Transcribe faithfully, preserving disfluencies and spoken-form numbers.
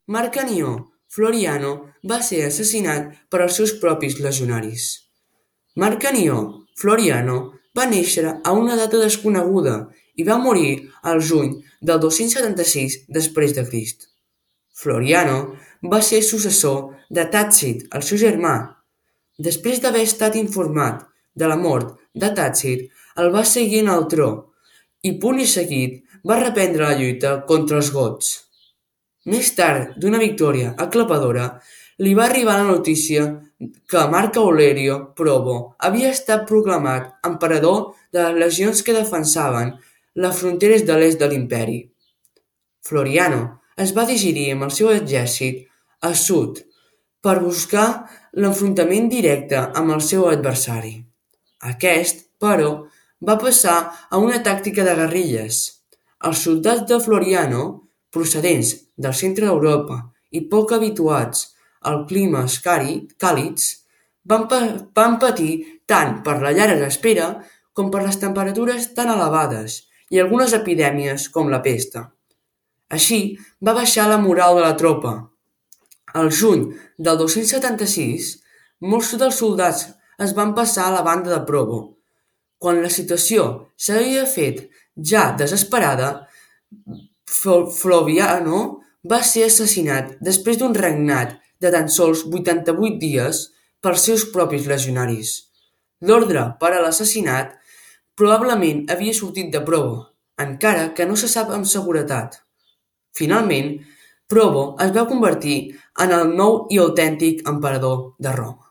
Marc Anió Floriano va ser assassinat per els seus propis legionaris. Marc Anió Floriano va néixer a una data desconeguda i va morir al juny del dos-cents setanta-sis després de Crist. Floriano va ser successor de Tàcit, el seu germà. Després d'haver estat informat de la mort de Tàcit, el va seguir en el tro i, punt i seguit, va reprendre la lluita contra els gots. Més tard, d'una victòria aclapadora, li va arribar la notícia que Marc Aurelio Probo havia estat proclamat emperador de les legions que defensaven les fronteres de l'est de l'imperi. Floriano es va dirigir amb el seu exèrcit a sud per buscar l'enfrontament directe amb el seu adversari. Aquest, però, va passar a una tàctica de guerrilles. Els soldats de Floriano, procedents del centre d'Europa i poc habituats als climes càlids, van, van patir tant per la llarga espera com per les temperatures tan elevades i algunes epidèmies com la pesta. Així va baixar la moral de la tropa. Al juny del dos-cents setanta-sis, molts dels soldats es van passar a la banda de Probo. Quan la situació s'havia fet ja desesperada, Floriano va ser assassinat després d'un regnat de tan sols vuitanta-vuit dies pels seus propis legionaris. L'ordre per a l'assassinat probablement havia sortit de Probo, encara que no se sap amb seguretat. Finalment, Probo es va convertir en el nou i autèntic emperador de Roma.